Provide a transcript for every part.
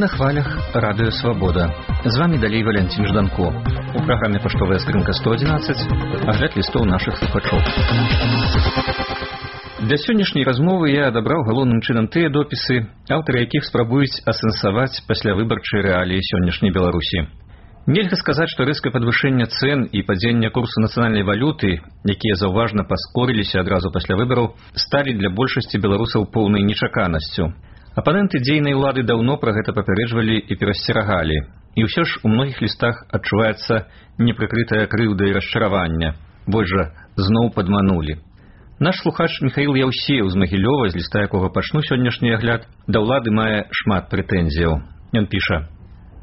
на хвалях радыё Свабода. З вами далей Валянцін Жданко. У праграме «Паштовая скрынка 111» агляд лістоў нашых слухачоў. Для сённяшняй размовы я адабраў галоўным чынам тыя допісы, аўтары якіх спрабуюць асэнсаваць паслявыбарчыя рэаліі сённяшняй Беларусі. Нельга сказаць, што рэзкае падвышэнне цэн і падзення курсу нацыянальнай валюты, якія заўважна паскорыліся адразу пасля выбараў, сталі для большасці беларусаў поўнай нечаканасцю. Апаненты дзейнай улады даўно пра гэта папярэджвалі і перасцерагалі. І ўсё ж у многіх лістах адчуваецца непрыкрытая крыўда і расчаравання. Вось жа, зноў падманулі. Наш слухач Міхаіл Яўсеў з Магілёва, з ліста якога пачну сённяшні агляд, да ўлады мае шмат прэтэнзіяў. Ён піша: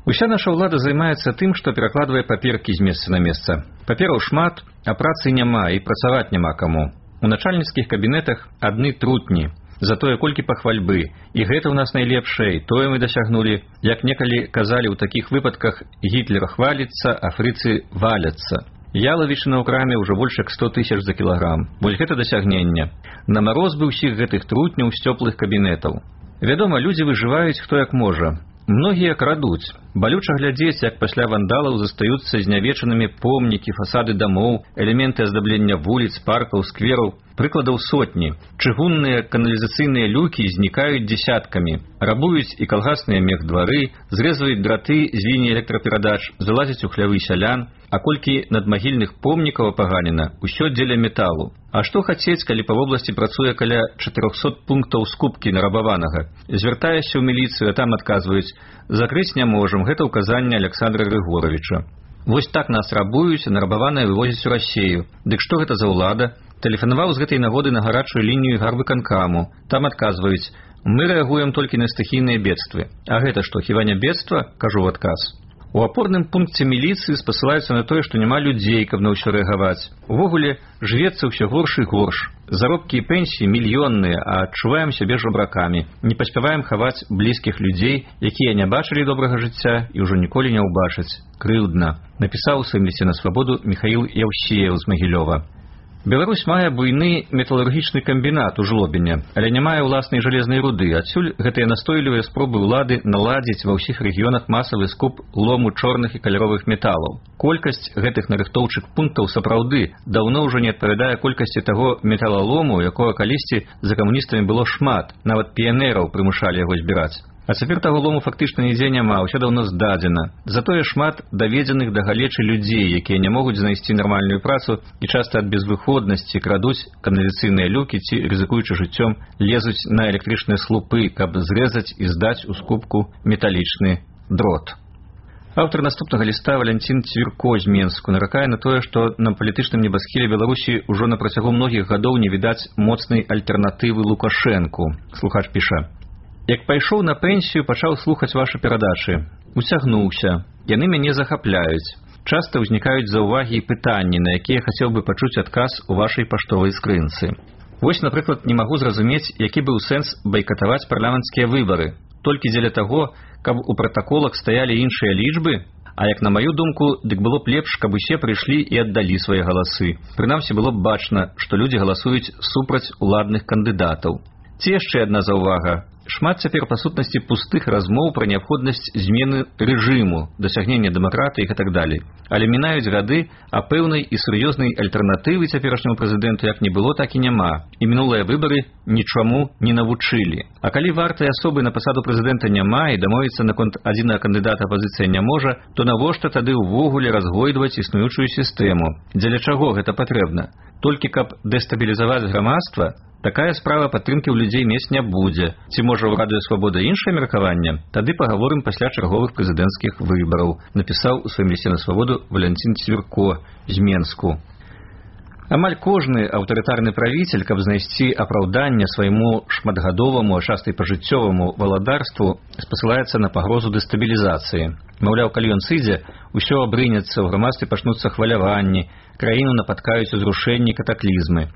«Уся наша ўлада займаецца тым, што перакладвае паперкі з месца на месца. Папераў шмат, а працы няма і працаваць няма каму. У начальніцкіх кабінетах адны трутні. Затое колькі пахвальбы, і гэта ў нас найлепшае, тое мы дасягнулі. Як некалі казалі ў такіх выпадках, Гітлер хваліцца, а фрыцы валяцца. Ялавічына ў краме ўжо больш як 100 000 за кілаграм. Вось гэта дасягнення. На мароз бы ўсіх гэтых трутняў з цёплых кабінетаў. Вядома, людзі выжываюць хто як можа. Многія крадуць. Балюча глядзець, як пасля вандалаў застаюцца знявечанымі помнікі, фасады дамоў, элементы аздаблення вуліц, паркаў, сквераў. Прыкладаў сотні. Чыгунныя каналізацыйныя люкі знікаюць дзесяткамі. Рабуюць і калгасныя мехдвары, зрэзваюць драты з лініі электраперадач, залазяць у хлявы сялян, а колькі надмагільных помнікаў апаганена, усё дзеля металу. А што хацець, калі па вобласці працуе каля 400 пунктаў скупкі нарабаванага? Звяртаешся ў міліцыю, а там адказваюць: закрыць не можам, гэта ўказанне Александра Грыгоровича. Вось так нас рабуюць, а нарабаванае вывозяць у Расею. Дык што гэта за ўлада? Тэлефанаваў з гэтай нагоды на гарачую лінію гарвыканкаму. Там адказваюць: мы рэагуем толькі на стыхійныя бедствы. А гэта што, хіба не бедства? Кажу ў адказ. У апорным пункце міліцыі спасылаюцца на тое, што няма людзей, каб на ўсё рэагаваць. Увогуле, жывецца ўсё горш і горш. Заробкі і пенсіі мільённыя, а адчуваем сябе жабракамі. Не паспяваем хаваць блізкіх людзей, якія не бачылі добрага жыцця і ўжо ніколі не ўбачаць. Крыўдна. Напісаў у сваім лісце на Свабоду Міхаіл Яўсеў з Магілёва. Беларусь мае буйны металургічны камбінат у Жлобіне, але не мае ўласнай жалезнай руды. Адсюль гэтыя настойлівыя спробы ўлады наладзіць ва ўсіх рэгіёнах масавы скуп лому чорных і каляровых металаў. Колькасць гэтых нарыхтоўчых пунктаў сапраўды даўно ўжо не адпавядае колькасці таго металалому, якога калісьці за камуністамі было шмат, нават піянераў прымушалі яго збіраць. А цяпер таго лому фактычна нідзе няма, ўсё даўно здадзена. Затое шмат даведзеных да галечы людзей, якія не могуць знайсці нармальную працу і часта ад безвыходнасці крадуць каналізацыйныя люкі ці, рызыкуючы жыццём, лезуць на электрычныя слупы, каб зрэзаць і здаць у скупку металічны дрот. Аўтар наступнага ліста Валянцін Цвірко з Менску наракае на тое, што на палітычным небасхіле Беларусі ўжо на працягу многіх гадоў не відаць моцнай альтэрнатывы Лукашэнку. Слухач піша: «Як пайшоў на пенсію, пачаў слухаць вашы перадачы. Уцягнуўся. Яны мяне захапляюць. Часта ўзнікаюць заўвагі і пытанні, на якія хацеў бы пачуць адказ у вашай паштовай скрынцы. Вось, напрыклад, не магу зразумець, які быў сэнс байкатаваць парламенцкія выбары. Толькі дзеля таго, каб у пратаколах стаялі іншыя лічбы? А як на маю думку, дык было б лепш, каб усе прыйшлі і аддалі свае галасы. Прынамсі было б бачна, што людзі галасуюць супраць уладных кандыдатаў. Ці яшчэ адна заўвага. Шмат цяпер па сутнасці пустых размоў пра неабходнасць змены рэжыму, дасягнення дэмакратыі і так далей. Але мінаюць гады, а пэўнай і сур'ёзнай альтэрнатывы цяперашняму прэзідэнту як не было, так і няма. І мінулыя выбары нічаму не навучылі. А калі вартай асобы на пасаду прэзідэнта няма і дамовіцца наконт адзінага кандыдата апазіцыя не можа, то навошта тады ўвогуле разгойдваць існуючую сістэму? Дзеля чаго гэта патрэбна? Толькі каб дэстабілізаваць грамадства? Такая справа падтрымкі ў людзей мець не будзе. Ці можа ў радыё Свабода іншае меркаванне? Тады пагаворым пасля чарговых прэзідэнцкіх выбараў, напісаў у сваім лісце на Свабоду Валянцін Цвірко з Менску. Амаль кожны аўтарытарны правіцель, каб знайсці апраўданне свайму шматгадоваму, а часта і пажыццёваму валадарству, спасылаецца на пагрозу дэстабілізацыі. Маўляў, калі ён сыдзе, усё абрынецца, ў грамадстве пачнуцца хваляванні, краіну напаткаюць узрушэнні, катаклізмы.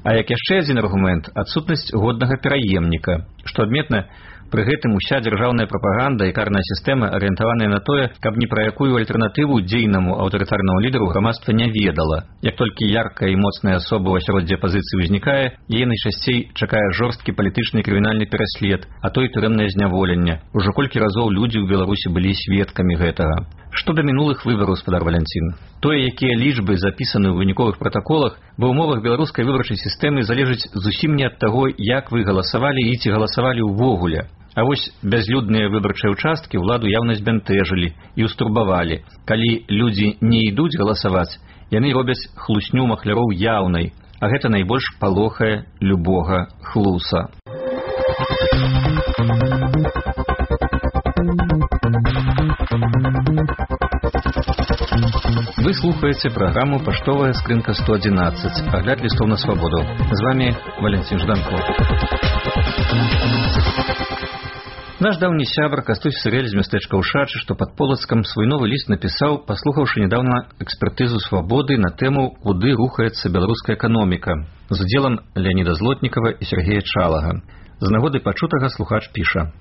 А як яшчэ адзін аргумент – адсутнасць годнага пераемніка. Што адметна, Пры гэтым уся дзяржаўная прапаганда і карная сістэма арыентаваныя на тое, каб ні пра якую альтэрнатыву дзейнаму аўтарытарнаму лідару грамадства не ведала. Як толькі яркая і моцная асоба ў асяроддзі апазіцыі ўзнікае, яе найчасцей чакае жорсткі палітычны і крымінальны пераслед, а то і турэмнае зняволенне. Ужо колькі разоў людзі ў Беларусі былі сведкамі гэтага. Што да мінулых выбараў, спадар Валянцін? Тое, якія лічбы запісаны ў выніковых пратаколах, ва ўмовах беларускай выбарчай сістэмы залежыць зусім не ад таго, як вы галасавалі і ці галасавалі ўвогуле. А вось бязлюдныя выбарчыя ўчасткі ўладу яўна збянтэжылі і ўстурбавалі. Калі людзі не ідуць галасаваць, яны робяць хлусню махляроў яўнай, а гэта найбольш палохае любога хлуса. Вы слухаеце праграму «Паштовая скрынка 111», агляд лістоў на свабоду. З вами Валентин Жданко. Наш даўні сябр Кастусь Сырэль з мястэчка Ушачы, што пад Полацкам, свой новы ліст напісаў, паслухаўшы нядаўна экспертызу свабоды на тэму «Куды рухаецца беларуская эканоміка» з удзелам Леаніда Злотнікава і Сергея Чалага. З нагоды пачутага слухач піша: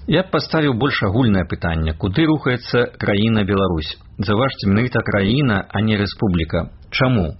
«Я б паставіў больш агульнае пытанне, куды рухаецца краіна Беларусь. Заўважце, менавіта краіна, а не рэспубліка. Чаму?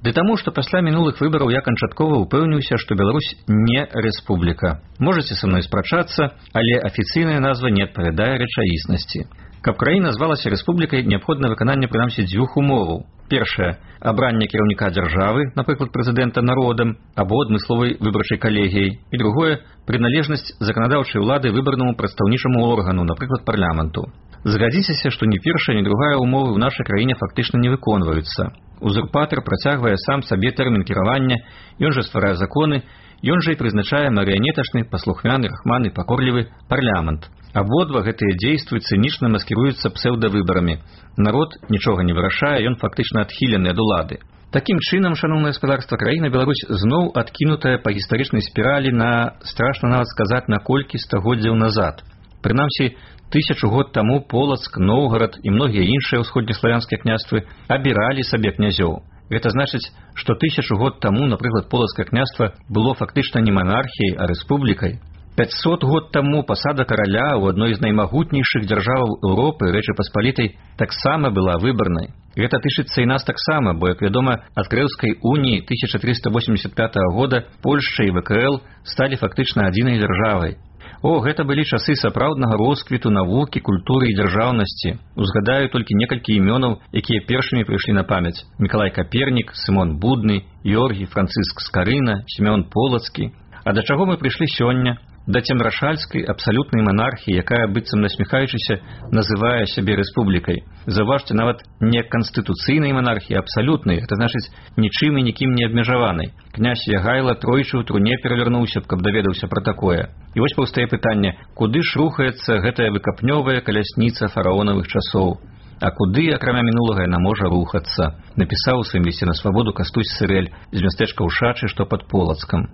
Ды таму, што пасля мінулых выбараў я канчаткова ўпэўніўся, што Беларусь не рэспубліка. Можаце са мной спрачацца, але афіцыйная назва не адпавядае рэчаіснасці. Каб краіна звалася рэспублікай, неабходна выкананне прынамсі дзвюх умоваў. Першае – абранне кіраўніка дзяржавы, напрыклад, прэзідэнта народам, або адмысловай выбарчай калегіяй. І другое – прыналежнасць заканадаўчай улады выбарнаму прадстаўнічаму органу, напрыклад, парламенту. Згадзіцеся, што ні першая, ні другая умовы ў нашай краіне фактычна не выконваюцца. Узурпатар працягвае сам сабе тэрмін кіравання, ён жа стварае законы, ён жа і прызначае марыянетачны, паслухмяны, рахманы, пакорлівы парламент. Абодва гэтыя дзействы цынічна маскіруюцца псеўдавыбарамі. Народ нічога не вырашае, ён фактычна адхілены ад улады. Такім чынам, шаноўнае гаспадарства, краіна Беларусь зноў адкінутая па гістарычнай спіралі на, страшна нават сказаць, на колькі стагоддзяў назад. Прынамсі, 1000 год таму Полацк, Новгарад і многія іншыя ўсходнеславянскія княствы абіралі сабе князёў. Гэта значыць, што 1000 год таму, напрыклад, Полацкае княства было фактычна не монархіяй, а рэспублікай. 500 год таму пасада караля ў адной з наймагутнейшых дзяржаваў Еўропы, Рэчы Паспалітай, таксама была выбарнай. Гэта тычыцца і нас таксама, бо, як вядома, ад Крэўскай уніі 1385 года Польшча і ВКЛ сталі фактычна адзінай дзяржавай. О, гэта былі часы сапраўднага росквіту навукі, культуры і дзяржаўнасці. Узгадаю толькі некалькі імёнаў, якія першымі прыйшлі на памяць. Мікалай Капернік, Сымон Будны, Георгій Францыск Скарына, Сімён Полацкі. А да чаго мы прыйшлі сёння? Да цемрашальскай абсалютнай манархіі, якая, быццам насміхаючыся, называе сябе рэспублікай. Заўважце, нават не канстытуцыйнай манархіі, а абсалютнай, гэта значыць нічым і нікім не абмежаванай. Князь Ягайла тройчы ў труне перавярнуўся б, каб даведаўся пра такое. І вось паўстае пытанне, куды ж рухаецца гэтая выкапнёвая калясніца фараонавых часоў? А куды, акрамя мінулага, яна можа рухацца? Напісаў у сваім лісце на свабоду Кастусь Сырэль з мястэчка Ушачы, што пад Полацкам.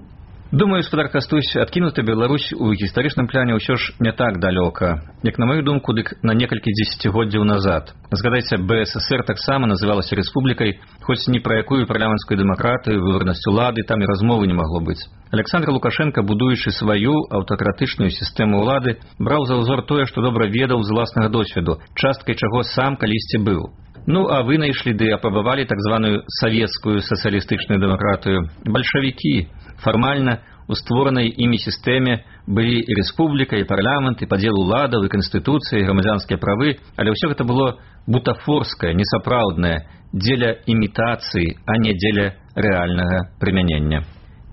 Думаю, спадар Кастусь, адкінута Беларусь у гістарычным пляне ўсё ж не так далёка. Як на маю думку, дык на некалькі дзесяцігоддзяў назад. Згадайце, БССР таксама называлася рэспублікай, хоць ні пра якую парламенцкую дэмакратыю, выбарнасць улады там і размовы не магло быць. Александр Лукашенко, будуючы сваю аўтакратычную сістэму ўлады, браў за ўзор тое, што добра ведаў з уласнага досведу, часткай чаго сам калісьці быў. Ну, а вы знайшлі ды апрабавалі так званую савецкую сацыялістычную дэмакратыю. Бальшавікі. Фармальна у створанай імі сістэме былі і рэспубліка, і парламент, і падзел уладаў, і канстытуцыя, і грамадзянскія правы, але ўсё гэта было бутафорскае, несапраўднае, дзеля імітацыі, а не дзеля рэальнага прымянення.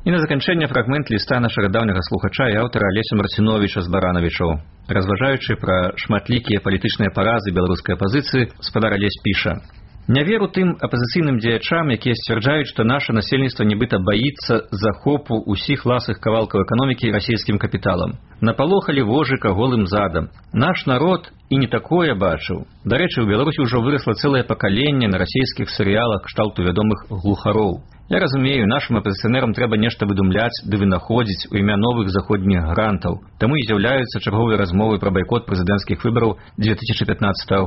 І на заканчэнне фрагмент ліста нашага даўняга слухача і аўтара Алеся Марціновіча з Баранавічаў. Разважаючы пра шматлікія палітычныя паразы беларускай апазіцыі, спадар Алесь піша: «Не веру тым апазіцыйным дзеячам, якія сцвярджаюць, што наша насельніцтва нібыта баіцца захопу ўсіх ласых кавалкаў эканомікі расійскім капіталам. Напалохалі вожыка голым задам. Наш народ і не такое бачыў. Дарэчы, у Беларусі ўжо вырасла цэлае пакаленне на расійскіх серыялах кшталту вядомых глухароў. Я разумею, нашим апазіцыянерам трэба нешта выдумляць ды вынаходзіць у імя новых заходніх грантаў. Таму і з'яўляюцца чарговыя размовы пра байкот прэзідэнцкіх выбараў 2015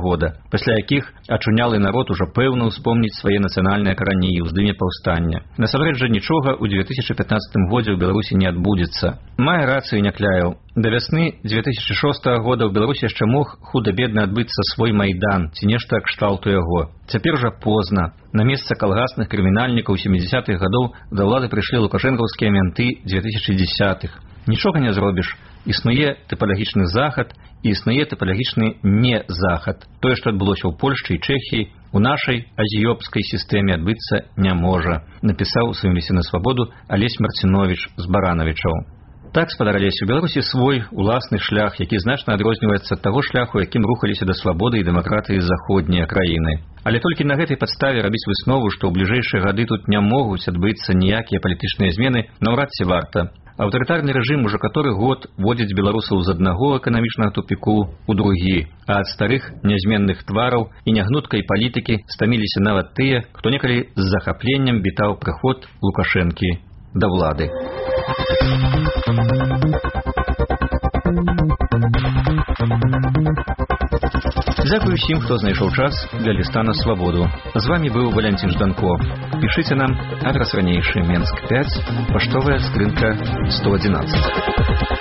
года, пасля якіх ачунялы народ ужо пэўна ўспомніць свае нацыянальныя карані і ўздыме паўстання. Насамрэч жа нічога ў 2015 годзе ў Беларусі не адбудзецца. Мае рацыю Някляеў. Да вясны 2006 года ў Беларусі яшчэ мог худа-бедна адбыцца свой майдан ці нешта кшталту яго. Цяпер жа позна. На месца калгасных крымінальнікаў 70-х гадоў да ўлады прыйшлі лукашэнкаўскія менты 2010-х. Нічога не зробіш. Існуе тыпалагічны захад і існуе тыпалагічны не-захад. Тое, што адбылося ў Польшчы і Чэхіі, у нашай азіёпскай сістэме адбыцца не можа, напісаў у сваім лісце на свабоду Алесь Марціновіч з Баранавічаў. Так, спадар Алесь, у Беларусі свой уласны шлях, які значна адрозніваецца ад таго шляху, якім рухаліся да свабоды і дэмакратыі заходнія краіны. Але толькі на гэтай падставе рабіць выснову, што ў бліжэйшыя гады тут не могуць адбыцца ніякія палітычныя змены, наўрад ці варта. Аўтарытарны рэжым ужо каторы год водзіць беларусаў з аднаго эканамічнага тупіку ў другі, а ад старых нязменных твараў і нягнуткай палітыкі стаміліся нават тыя, хто некалі з захапленнем вітаў прыход Лукашэнкі да ўлады. Дзякую усім, хто знайшоў час для ліста на свабоду. З вами быў Валянцін Жданко. Пішыце нам, адрас ранейшы, Менск 5, паштовая скрынка 111.